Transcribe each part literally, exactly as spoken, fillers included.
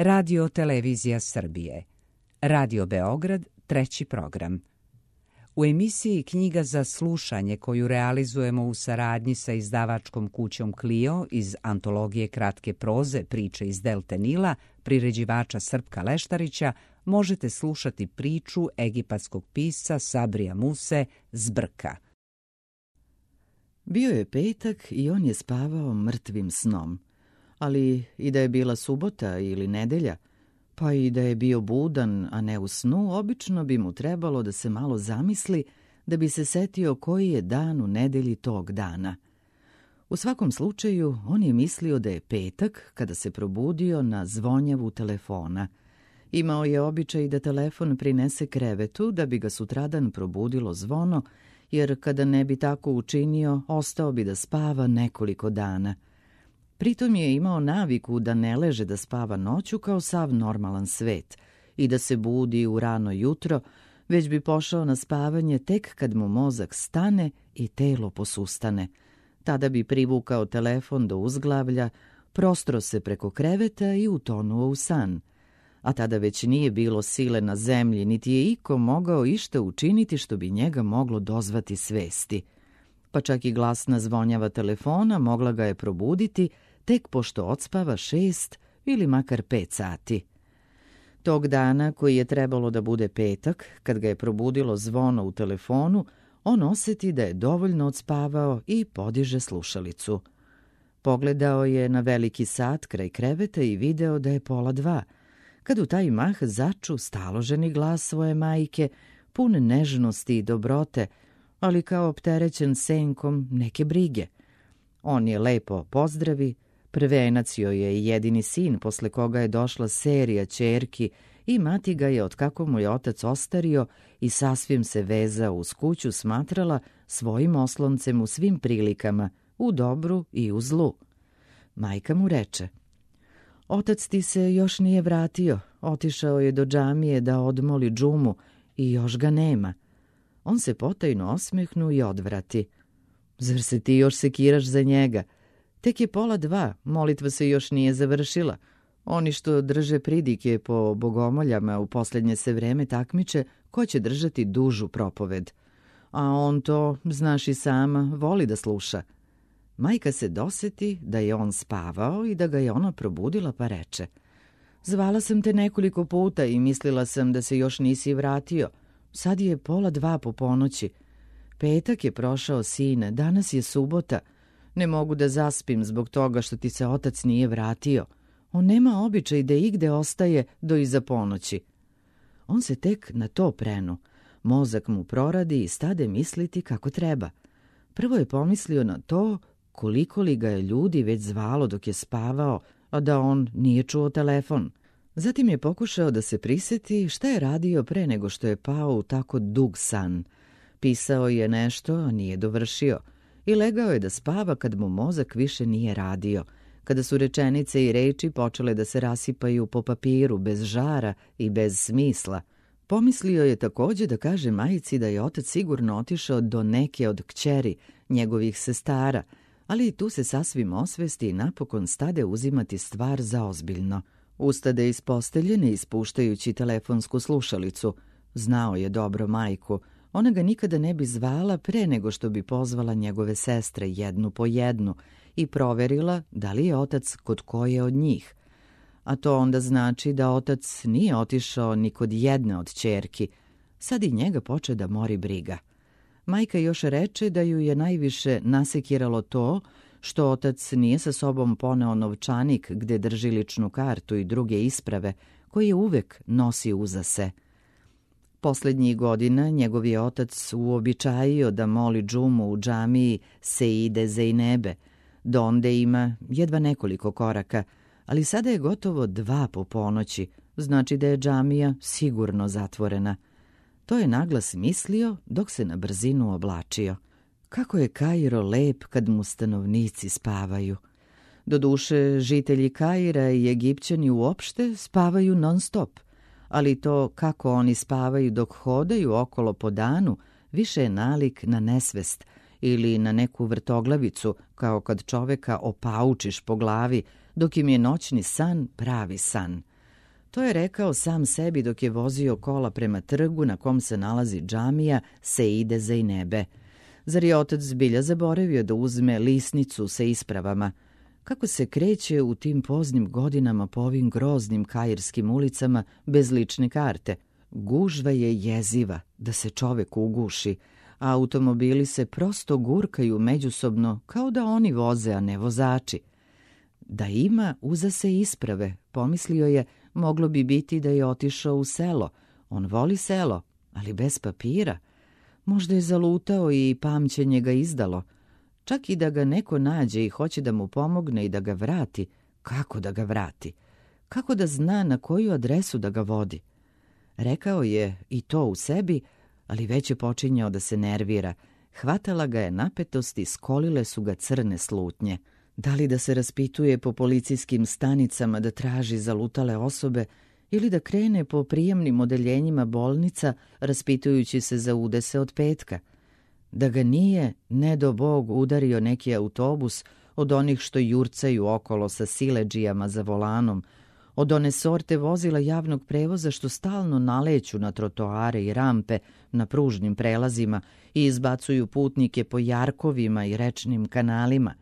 Radio Televizija Srbije. Radio Beograd, treći program. U emisiji Knjiga za slušanje koju realizujemo u saradnji sa izdavačkom kućom Clio iz antologije kratke proze Priče iz Delte Nila, priređivača Srpka Leštarića, možete slušati priču egipatskog pisca Sabrija Muse Zbrka. Bio je petak i on je spavao mrtvim snom. Ali i da je bila subota ili nedelja, pa i da je bio budan, a ne u snu, obično bi mu trebalo da se malo zamisli da bi se setio koji je dan u nedelji tog dana. U svakom slučaju, on je mislio da je petak kada se probudio na zvonjavu telefona. Imao je običaj da telefon prinese krevetu da bi ga sutradan probudilo zvono, jer kada ne bi tako učinio, ostao bi da spava nekoliko dana. Pritom je imao naviku da ne leže da spava noću kao sav normalan svet i da se budi u rano jutro, već bi pošao na spavanje tek kad mu mozak stane i telo posustane. Tada bi privukao telefon do uzglavlja, prostro se preko kreveta i utonuo u san. A tada već nije bilo sile na zemlji, niti je iko mogao išta učiniti što bi njega moglo dozvati svesti. Pa čak i glasna zvonjava telefona mogla ga je probuditi tek pošto odspava šest ili makar pet sati. Tog dana, koji je trebalo da bude petak, kad ga je probudilo zvono u telefonu, on osjeti da je dovoljno odspavao i podiže slušalicu. Pogledao je na veliki sat kraj kreveta i video da je pola dva, kad u taj mah začu staloženi glas svoje majke, pun nežnosti i dobrote, ali kao opterećen senkom neke brige. On je lepo pozdravi, prvenac joj je jedini sin posle koga je došla serija ćerki i mati ga je, otkako mu je otac ostario i sasvim se vezao uz kuću, smatrala svojim osloncem u svim prilikama, u dobru i u zlu. Majka mu reče: "Otac ti se još nije vratio, otišao je do džamije da odmoli džumu i još ga nema." On se potajno osmehnu i odvrati: "Zar se ti još sekiraš za njega? Tek je pola dva, molitva se još nije završila. Oni što drže pridike po bogomoljama u posljednje se vreme takmiče ko će držati dužu propoved. A on to, znaš i sama, voli da sluša." Majka se doseti da je on spavao i da ga je ona probudila, pa reče: "Zvala sam te nekoliko puta i mislila sam da se još nisi vratio. Sad je pola dva po ponoći. Petak je prošao, sine, danas je subota. Ne mogu da zaspim zbog toga što ti se otac nije vratio. On nema običaj da igde ostaje do iza ponoći." On se tek na to prenu. Mozak mu proradi i stade misliti kako treba. Prvo je pomislio na to koliko li ga je ljudi već zvalo dok je spavao, a da on nije čuo telefon. Zatim je pokušao da se prisjeti šta je radio pre nego što je pao u tako dug san. Pisao je nešto, a nije dovršio, i legao je da spava kad mu mozak više nije radio, kada su rečenice i reči počele da se rasipaju po papiru bez žara i bez smisla. Pomislio je također da kaže majici da je otac sigurno otišao do neke od kćeri njegovih sestara, ali i tu se sasvim osvesti i napokon stade uzimati stvar za ozbiljno. Ustade iz postelje ne ispuštajući telefonsku slušalicu. Znao je dobro majku. Ona ga nikada ne bi zvala pre nego što bi pozvala njegove sestre jednu po jednu i proverila da li je otac kod koje od njih. A to onda znači da otac nije otišao ni kod jedne od ćerki. Sad i njega poče da mori briga. Majka još reče da ju je najviše nasekiralo to što otac nije sa sobom poneo novčanik gde drži ličnu kartu i druge isprave koje uvek nosi uza se. Poslednjih godina njegov je otac uobičajio da moli džumu u džamiji Seide Zejnebe. Do onde ima jedva nekoliko koraka, ali sada je gotovo dva po ponoći, znači da je džamija sigurno zatvorena. To je naglas mislio dok se na brzinu oblačio. Kako je Kairo lep kad mu stanovnici spavaju. Doduše, žitelji Kaira i Egipćani uopšte spavaju non stop, ali to kako oni spavaju dok hodaju okolo po danu više je nalik na nesvest ili na neku vrtoglavicu, kao kad čoveka opaučiš po glavi dok im je noćni san pravi san. To je rekao sam sebi dok je vozio kola prema trgu na kom se nalazi džamija Seide Zejnebe. Zar je otac zbilja zaboravio da uzme lisnicu sa ispravama? Kako se kreće u tim poznim godinama po ovim groznim kairskim ulicama bez lične karte? Gužva je jeziva, da se čovek uguši, a automobili se prosto gurkaju međusobno kao da oni voze, a ne vozači. Da ima, uza se isprave, pomislio je, moglo bi biti da je otišao u selo. On voli selo, ali bez papira. Možda je zalutao i pamćenje ga izdalo. Čak i da ga neko nađe i hoće da mu pomogne i da ga vrati, kako da ga vrati? Kako da zna na koju adresu da ga vodi? Rekao je i to u sebi, ali već je počinjao da se nervira. Hvatala ga je napetost i skolile su ga crne slutnje. Da li da se raspituje po policijskim stanicama da traži zalutale osobe ili da krene po prijemnim odeljenjima bolnica raspitujući se za udese od petka? Da ga nije, ne do Bog, udario neki autobus od onih što jurcaju okolo sa siledžijama za volanom, od one sorte vozila javnog prevoza što stalno naleću na trotoare i rampe na pružnim prelazima i izbacuju putnike po jarkovima i rečnim kanalima.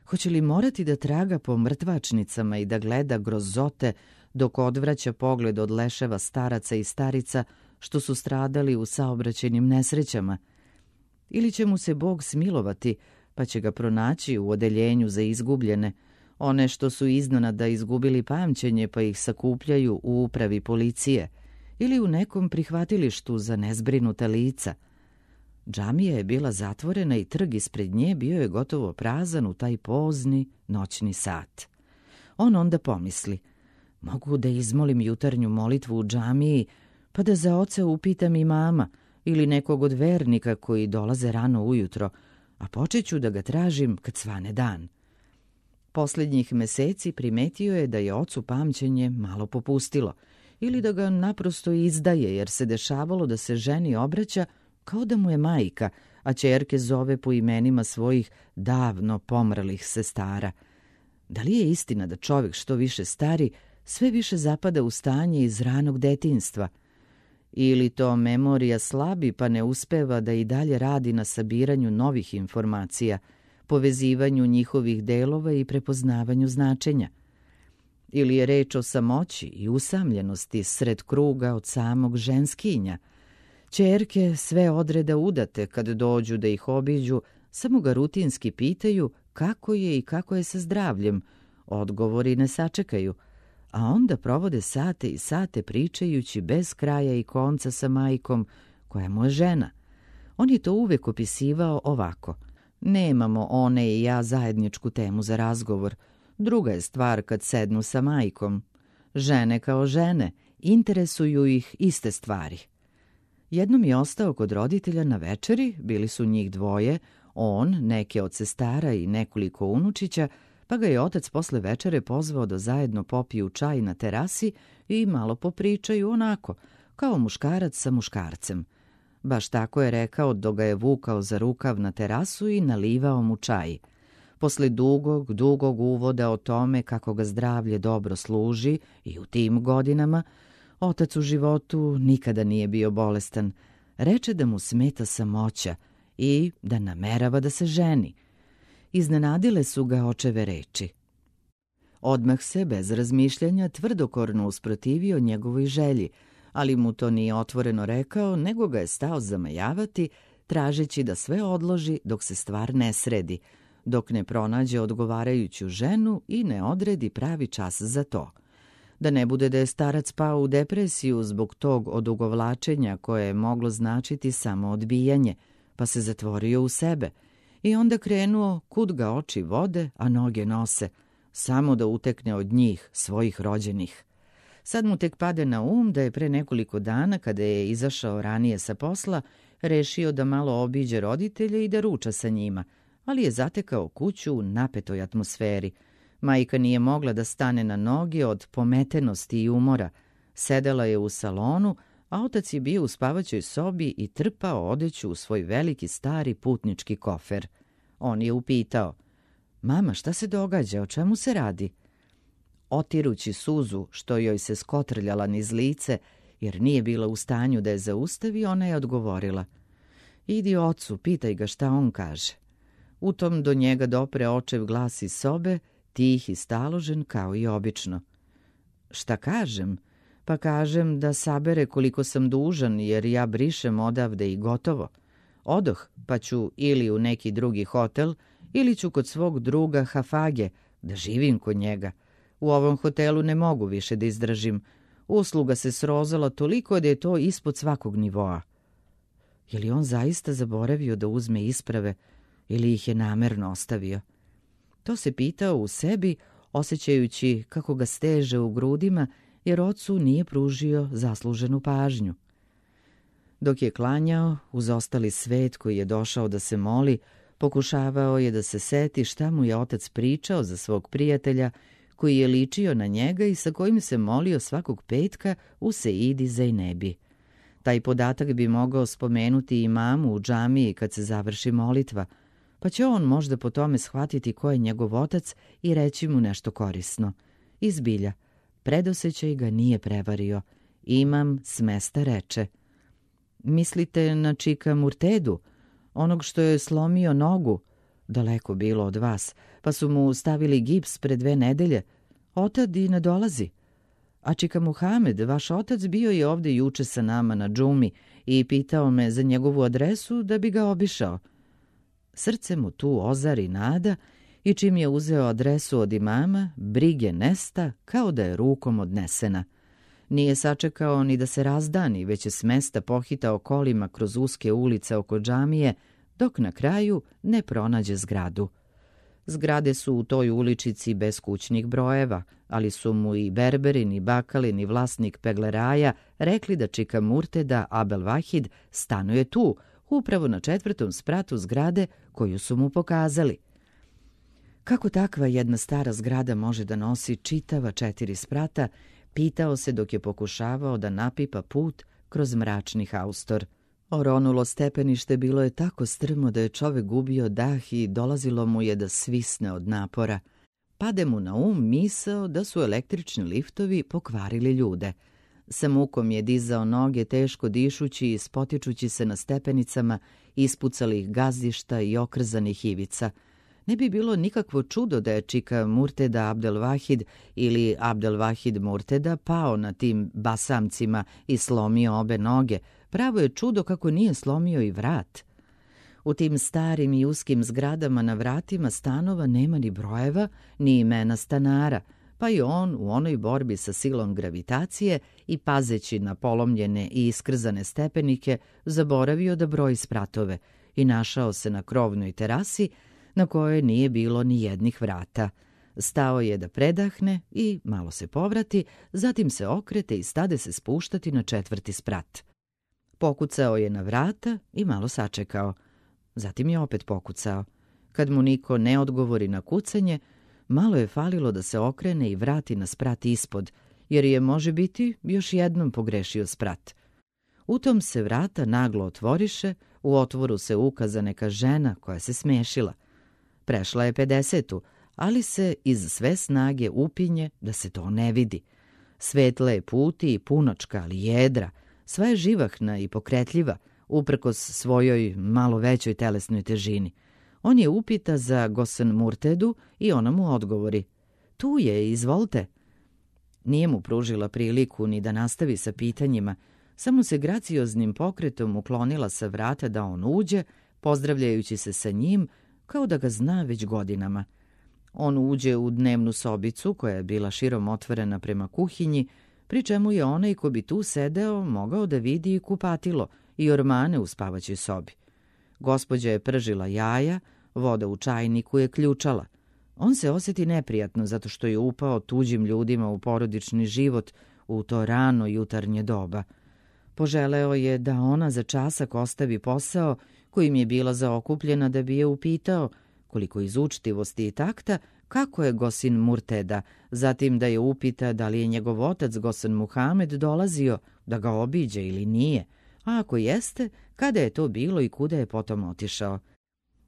Hoće li morati da traga po mrtvačnicama i da gleda grozote dok odvraća pogled od leševa staraca i starica što su stradali u saobraćajnim nesrećama? Ili će mu se Bog smilovati pa će ga pronaći u odeljenju za izgubljene, one što su iznenada izgubili pamćenje pa ih sakupljaju u upravi policije, ili u nekom prihvatilištu za nezbrinuta lica. Džamija je bila zatvorena i trg ispred nje bio je gotovo prazan u taj pozni noćni sat. On onda pomisli, mogu da izmolim jutarnju molitvu u džamiji, pa da za oca upitam i mama ili nekog od vernika koji dolaze rano ujutro, a počeću da ga tražim kad svane dan. Posljednjih meseci primetio je da je ocu pamćenje malo popustilo ili da ga naprosto izdaje, jer se dešavalo da se ženi obraća kao da mu je majka, a ćerke zove po imenima svojih davno pomrlih sestara. Da li je istina da čovjek što više stari, sve više zapada u stanje iz ranog detinjstva? Ili to memorija slabi pa ne uspeva da i dalje radi na sabiranju novih informacija, povezivanju njihovih delova i prepoznavanju značenja? Ili je reč o samoći i usamljenosti sred kruga od samog ženskinja? Ćerke sve odreda udate kad dođu da ih obiđu, samo ga rutinski pitaju kako je i kako je sa zdravljem, odgovori ne sačekaju, a onda provode sate i sate pričajući bez kraja i konca sa majkom, koja mu je žena. On je to uvek opisivao ovako: nemamo one i ja zajedničku temu za razgovor, druga je stvar kad sednu sa majkom. Žene kao žene, interesuju ih iste stvari. Jednom je ostao kod roditelja na večeri, bili su njih dvoje, on, neke od sestara i nekoliko unučića, pa ga je otac posle večere pozvao da zajedno popiju čaj na terasi i malo popričaju onako, kao muškarac sa muškarcem. Baš tako je rekao dok ga je vukao za rukav na terasu i nalivao mu čaj. Posle dugog, dugog uvoda o tome kako ga zdravlje dobro služi i u tim godinama, otac u životu nikada nije bio bolestan. Reče da mu smeta samoća i da namerava da se ženi. Iznenadile su ga očeve reči. Odmah se, bez razmišljanja, tvrdokorno usprotivio njegovoj želji, ali mu to nije otvoreno rekao, nego ga je stao zamajavati, tražeći da sve odloži dok se stvar ne sredi, dok ne pronađe odgovarajuću ženu i ne odredi pravi čas za to. Da ne bude da je starac pao u depresiju zbog tog odugovlačenja koje je moglo značiti samo odbijanje, pa se zatvorio u sebe i onda krenuo kud ga oči vode, a noge nose, samo da utekne od njih, svojih rođenih. Sad mu tek pade na um da je pre nekoliko dana, kada je izašao ranije sa posla, rešio da malo obiđe roditelje i da ruča sa njima, ali je zatekao kuću u napetoj atmosferi. Majka nije mogla da stane na noge od pometenosti i umora. Sedela je u salonu, a otac je bio u spavaćoj sobi i trpao odeću u svoj veliki stari putnički kofer. On je upitao: mama, šta se događa, o čemu se radi? otirući suzu što joj se skotrljala niz lice, jer nije bila u stanju da je zaustavi, ona je odgovorila: idi ocu, pitaj ga šta on kaže. U tom do njega dopre očev glas iz sobe, tih i staložen kao i obično. Šta kažem? Pa kažem da sabere koliko sam dužan, jer ja brišem odavde i gotovo. Odoh, pa ću ili u neki drugi hotel, ili ću kod svog druga Hafage, da živim kod njega. U ovom hotelu ne mogu više da izdržim. Usluga se srozala toliko da je to ispod svakog nivoa. Je li on zaista zaboravio da uzme isprave ili ih je namerno ostavio? To se pitao u sebi, osjećajući kako ga steže u grudima, jer ocu nije pružio zasluženu pažnju. Dok je klanjao, uz ostali svet koji je došao da se moli, pokušavao je da se seti šta mu je otac pričao za svog prijatelja, koji je ličio na njega i sa kojim se molio svakog petka u Seidi Zejnebi. Taj podatak bi mogao spomenuti imamu u džamiji kad se završi molitva, pa će on možda po tome shvatiti ko je njegov otac i reći mu nešto korisno. Izbilja, predosećaj ga nije prevario. Imam s mesta reče: mislite na čika Murtedu, onog što je slomio nogu? Daleko bilo od vas, pa su mu stavili gips pre dve nedelje. Otad i ne dolazi. A čika Muhamed, vaš otac, bio je ovde juče sa nama na džumi i pitao me za njegovu adresu da bi ga obišao. Srce mu tu ozari nada i čim je uzeo adresu od imama, brige nesta kao da je rukom odnesena. Nije sačekao ni da se razdani, već je s mesta pohitao kolima kroz uske ulice oko džamije, dok na kraju ne pronađe zgradu. Zgrade su u toj uličici bez kućnih brojeva, ali su mu i Berberin i Bakalin i vlasnik Pegleraja rekli da čika Murteda Abdel Vahid stanuje tu, upravo na četvrtom spratu zgrade koju su mu pokazali. Kako takva jedna stara zgrada može da nosi čitava četiri sprata, pitao se dok je pokušavao da napipa put kroz mračni haustor. Oronulo stepenište bilo je tako strmo da je čovek gubio dah i dolazilo mu je da svisne od napora. Pade mu na um misao da su električni liftovi pokvarili ljude. Sa mukom je dizao noge, teško dišući i spotičući se na stepenicama ispucalih gazdišta i okrzanih ivica. Ne bi bilo nikakvo čudo da je čika Murteda Abdel Vahid ili Abdel Vahid Murteda pao na tim basamcima i slomio obe noge. Pravo je čudo kako nije slomio i vrat. U tim starim i uskim zgradama na vratima stanova nema ni brojeva, ni imena stanara, pa i on u onoj borbi sa silom gravitacije i pazeći na polomljene i iskrzane stepenike zaboravio da broji spratove i našao se na krovnoj terasi na kojoj nije bilo ni jednih vrata. Stao je da predahne i malo se povrati, zatim se okrete i stade se spuštati na četvrti sprat. Pokucao je na vrata i malo sačekao. Zatim je opet pokucao. Kad mu niko ne odgovori na kucanje, malo je falilo da se okrene i vrati na sprat ispod, jer je, može biti, još jednom pogrešio sprat. U tom se vrata naglo otvoriše, u otvoru se ukaza neka žena koja se smešila. Prešla je pedesetu, ali se iz sve snage upinje da se to ne vidi. Svetla je puti i punočka, ali jedra, sva je živahna i pokretljiva, uprkos svojoj malo većoj telesnoj težini. On je upita za Gosen Murtedu i ona mu odgovori: tu je, izvolite. Nije mu pružila priliku ni da nastavi sa pitanjima, samo se gracioznim pokretom uklonila sa vrata da on uđe, pozdravljajući se sa njim kao da ga zna već godinama. On uđe u dnevnu sobicu koja je bila širom otvorena prema kuhinji, pri čemu je onaj ko bi tu sedeo mogao da vidi i kupatilo i ormane u spavaćoj sobi. Gospođa je pržila jaja, voda u čajniku je ključala. On se osjeti neprijatno zato što je upao tuđim ljudima u porodični život u to rano jutarnje doba. Poželeo je da ona za časak ostavi posao kojim je bila zaokupljena da bi je upitao, koliko iz učtivosti i takta, kako je Gosin Murteda, zatim da je upita da li je njegov otac Gosen Muhamed dolazio da ga obiđe ili nije, a ako jeste, kada je to bilo i kuda je potom otišao,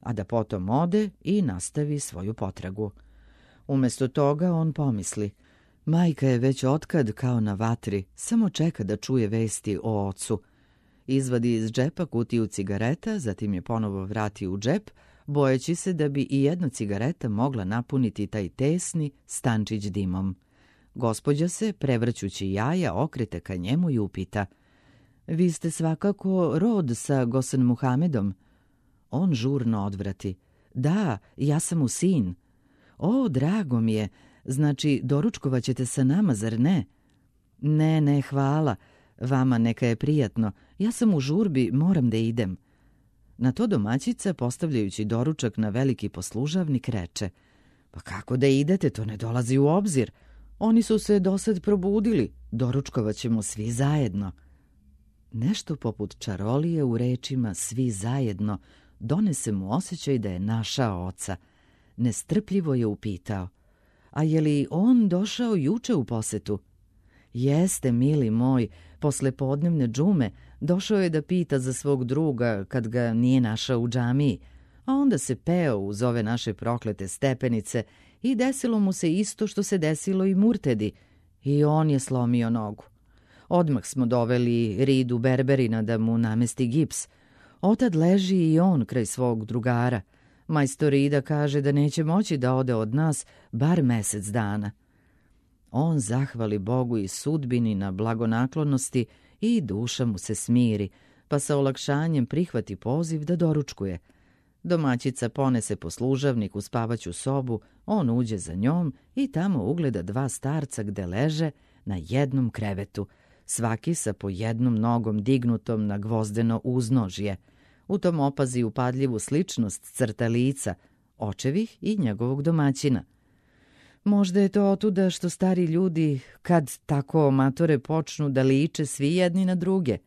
a da potom ode i nastavi svoju potragu. Umesto toga on pomisli: Majka je već otkad kao na vatri, samo čeka da čuje vesti o ocu. Izvadi iz džepa kutiju cigareta, zatim je ponovo vrati u džep, bojeći se da bi i jedna cigareta mogla napuniti taj tesni stančić dimom. Gospođa se, prevrćući jaja, okrete ka njemu i upita: "Vi ste svakako rod sa Gosen Muhamedom?" On žurno odvrati: "Da, ja sam mu sin." "O, drago mi je, znači doručkovat ćete sa nama, zar ne?" "Ne, ne, hvala, vama neka je prijatno, ja sam u žurbi, moram da idem." Na to domaćica, postavljajući doručak na veliki poslužavnik, reče: "Pa kako da idete, to ne dolazi u obzir. Oni su se dosad probudili, doručkovat ćemo svi zajedno." Nešto poput čarolije u rečima "svi zajedno" donese mu osjećaj da je našao oca. Nestrpljivo je upitao: "A je li on došao juče u posetu?" "Jeste, mili moj, posle podnevne džume došao je da pita za svog druga kad ga nije našao u džamiji, a onda se peo uz ove naše proklete stepenice i desilo mu se isto što se desilo i Murtedi, i on je slomio nogu. Odmah smo doveli Ridu Berberina da mu namesti gips. Otad leži i on kraj svog drugara. Majstor Rida kaže da neće moći da ode od nas bar mesec dana." On zahvali Bogu i sudbini na blagonaklonosti i duša mu se smiri, pa sa olakšanjem prihvati poziv da doručkuje. Domaćica ponese poslužavnik u spavaću sobu, on uđe za njom i tamo ugleda dva starca gde leže na jednom krevetu, svaki sa po jednom nogom dignutom na gvozdeno uznožje. U tom opazi upadljivu sličnost crta lica, očevih i njegovog domaćina. Možda je to otuda što stari ljudi, kad tako matore počnu, da liče svi jedni na druge.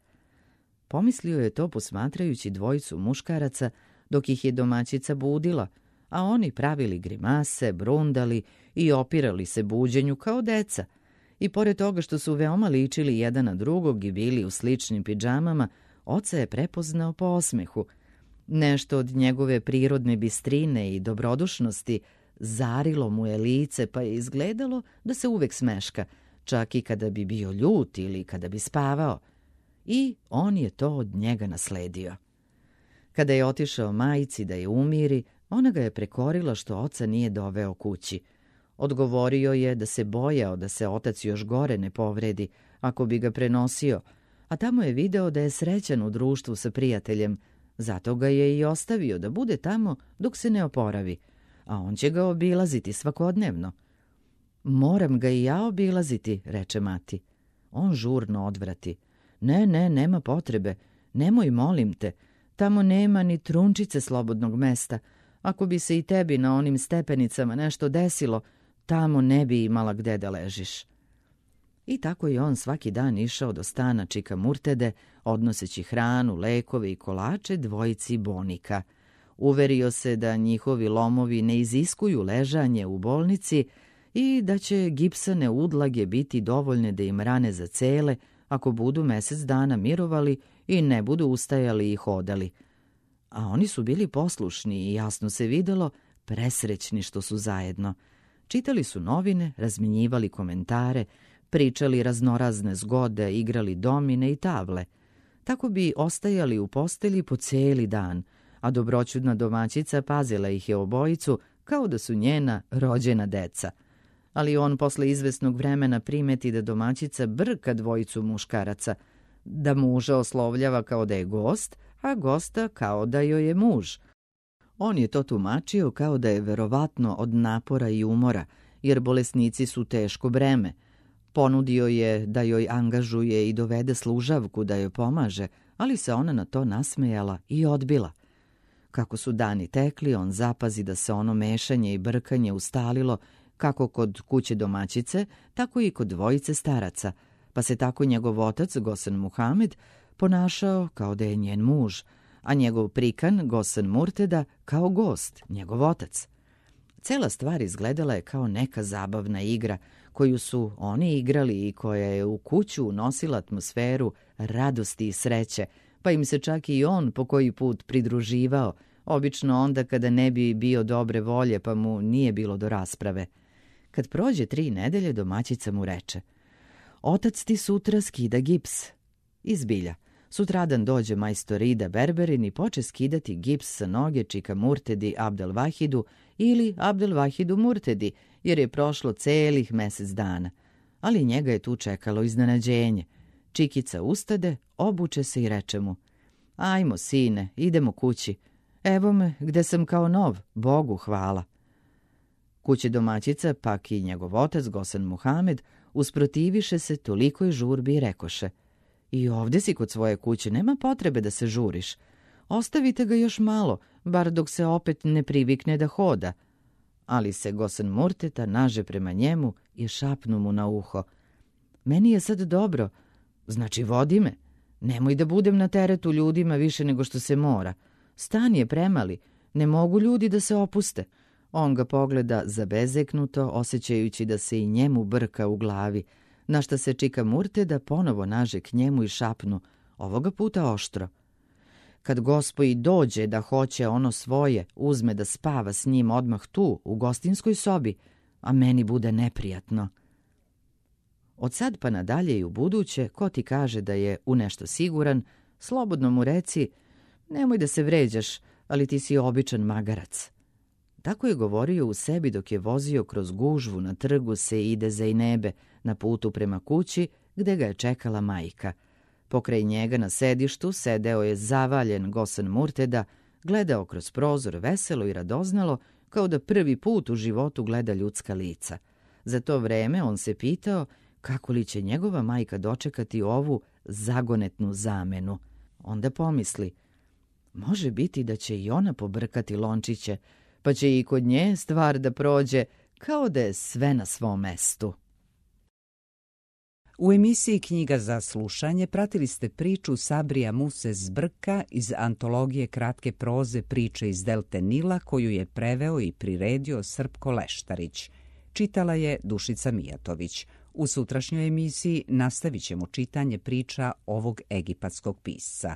Pomislio je to posmatrajući dvojicu muškaraca dok ih je domaćica budila, a oni pravili grimase, brundali i opirali se buđenju kao deca. I pored toga što su veoma ličili jedan na drugog i bili u sličnim pidžamama, oca je prepoznao po osmehu. Nešto od njegove prirodne bistrine i dobrodušnosti zarilo mu je lice, pa je izgledalo da se uvek smeška, čak i kada bi bio ljut ili kada bi spavao. I on je to od njega nasledio. Kada je otišao majici da je umiri, ona ga je prekorila što oca nije doveo kući. Odgovorio je da se bojao da se otac još gore ne povredi ako bi ga prenosio, a tamo je video da je srećan u društvu sa prijateljem, zato ga je i ostavio da bude tamo dok se ne oporavi, a on će ga obilaziti svakodnevno. "Moram ga i ja obilaziti," reče mati. On žurno odvrati: "Ne, ne, nema potrebe, nemoj, molim te, tamo nema ni trunčice slobodnog mesta. Ako bi se i tebi na onim stepenicama nešto desilo, tamo ne bi imala gde da ležiš." I tako je on svaki dan išao do stana čika Murtede, odnoseći hranu, lekove i kolače dvojici Bonika. Uverio se da njihovi lomovi ne iziskuju ležanje u bolnici i da će gipsane udlage biti dovoljne da im rane zacele ako budu mesec dana mirovali i ne budu ustajali i hodali. A oni su bili poslušni i jasno se videlo presrećni što su zajedno. Čitali su novine, razmenjivali komentare, pričali raznorazne zgode, igrali domine i tavle. Tako bi ostajali u postelji po cijeli dan, a dobroćudna domaćica pazila ih je obojicu kao da su njena rođena deca. Ali on posle izvesnog vremena primeti da domaćica brka dvojicu muškaraca, da muža oslovljava kao da je gost, a gosta kao da joj je muž. On je to tumačio kao da je verovatno od napora i umora, jer bolesnici su teško breme. Ponudio je da joj angažuje i dovede služavku da joj pomaže, ali se ona na to nasmejala i odbila. Kako su dani tekli, on zapazi da se ono mešanje i brkanje ustalilo kako kod kuće domaćice, tako i kod dvojice staraca, pa se tako njegov otac, Gosen Muhamed, ponašao kao da je njen muž, a njegov prikan, Gosen Murteda, kao gost, njegov otac. Cela stvar izgledala je kao neka zabavna igra koju su oni igrali i koja je u kuću unosila atmosferu radosti i sreće, pa im se čak i on po koji put pridruživao, obično onda kada ne bi bio dobre volje pa mu nije bilo do rasprave. Kad prođe tri nedelje, domaćica mu reče: otac ti sutra skida gips. I zbilja, sutradan dođe majstor Ida Berberin i poče skidati gips sa noge čika Murtedi Abdelvahidu ili Abdelvahidu Murtedi, jer je prošlo celih mesec dana. Ali njega je tu čekalo iznenađenje. Čikica ustade, obuče se i reče mu: ajmo, sine, idemo kući. Evo me, gde sam kao nov, Bogu hvala. Kući domaćica, pak i njegov otac, Gosen Muhamed, usprotiviše se tolikoj žurbi i rekoše: i ovde si kod svoje kuće, nema potrebe da se žuriš. Ostavite ga još malo, bar dok se opet ne privikne da hoda. Ali se Gosen Murteta naže prema njemu i šapnu mu na uho: meni je sad dobro, znači vodi me. Nemoj da budem na teretu ljudima više nego što se mora. Stan je premali, ne mogu ljudi da se opuste. On ga pogleda zabezeknuto, osjećajući da se i njemu brka u glavi, na šta se čika Murteda ponovo naže k njemu i šapnu, ovoga puta oštro: kad gospoji dođe da hoće ono svoje, uzme da spava s njim odmah tu, u gostinskoj sobi, a meni bude neprijatno. Od sad pa nadalje i u buduće, ko ti kaže da je u nešto siguran, slobodno mu reci: nemoj da se vređaš, ali ti si običan magarac. Tako je govorio u sebi dok je vozio kroz gužvu na trgu Seide Zejnebe na putu prema kući gde ga je čekala majka. Pokraj njega na sedištu sedeo je zavaljen Gosen Murteda, gledao kroz prozor veselo i radoznalo, kao da prvi put u životu gleda ljudska lica. Za to vreme on se pitao kako li će njegova majka dočekati ovu zagonetnu zamenu. Onda pomisli: može biti da će i ona pobrkati lončiće, pa će i kod nje stvar da prođe kao da je sve na svom mestu. U emisiji Knjiga za slušanje pratili ste priču Sabrija Muse Zbrka iz antologije kratke proze Priče iz delte Nila, koju je preveo i priredio Srpko Leštarić. Čitala je Dušica Mijatović. U sutrašnjoj emisiji nastavit ćemo čitanje priča ovog egipatskog pisca.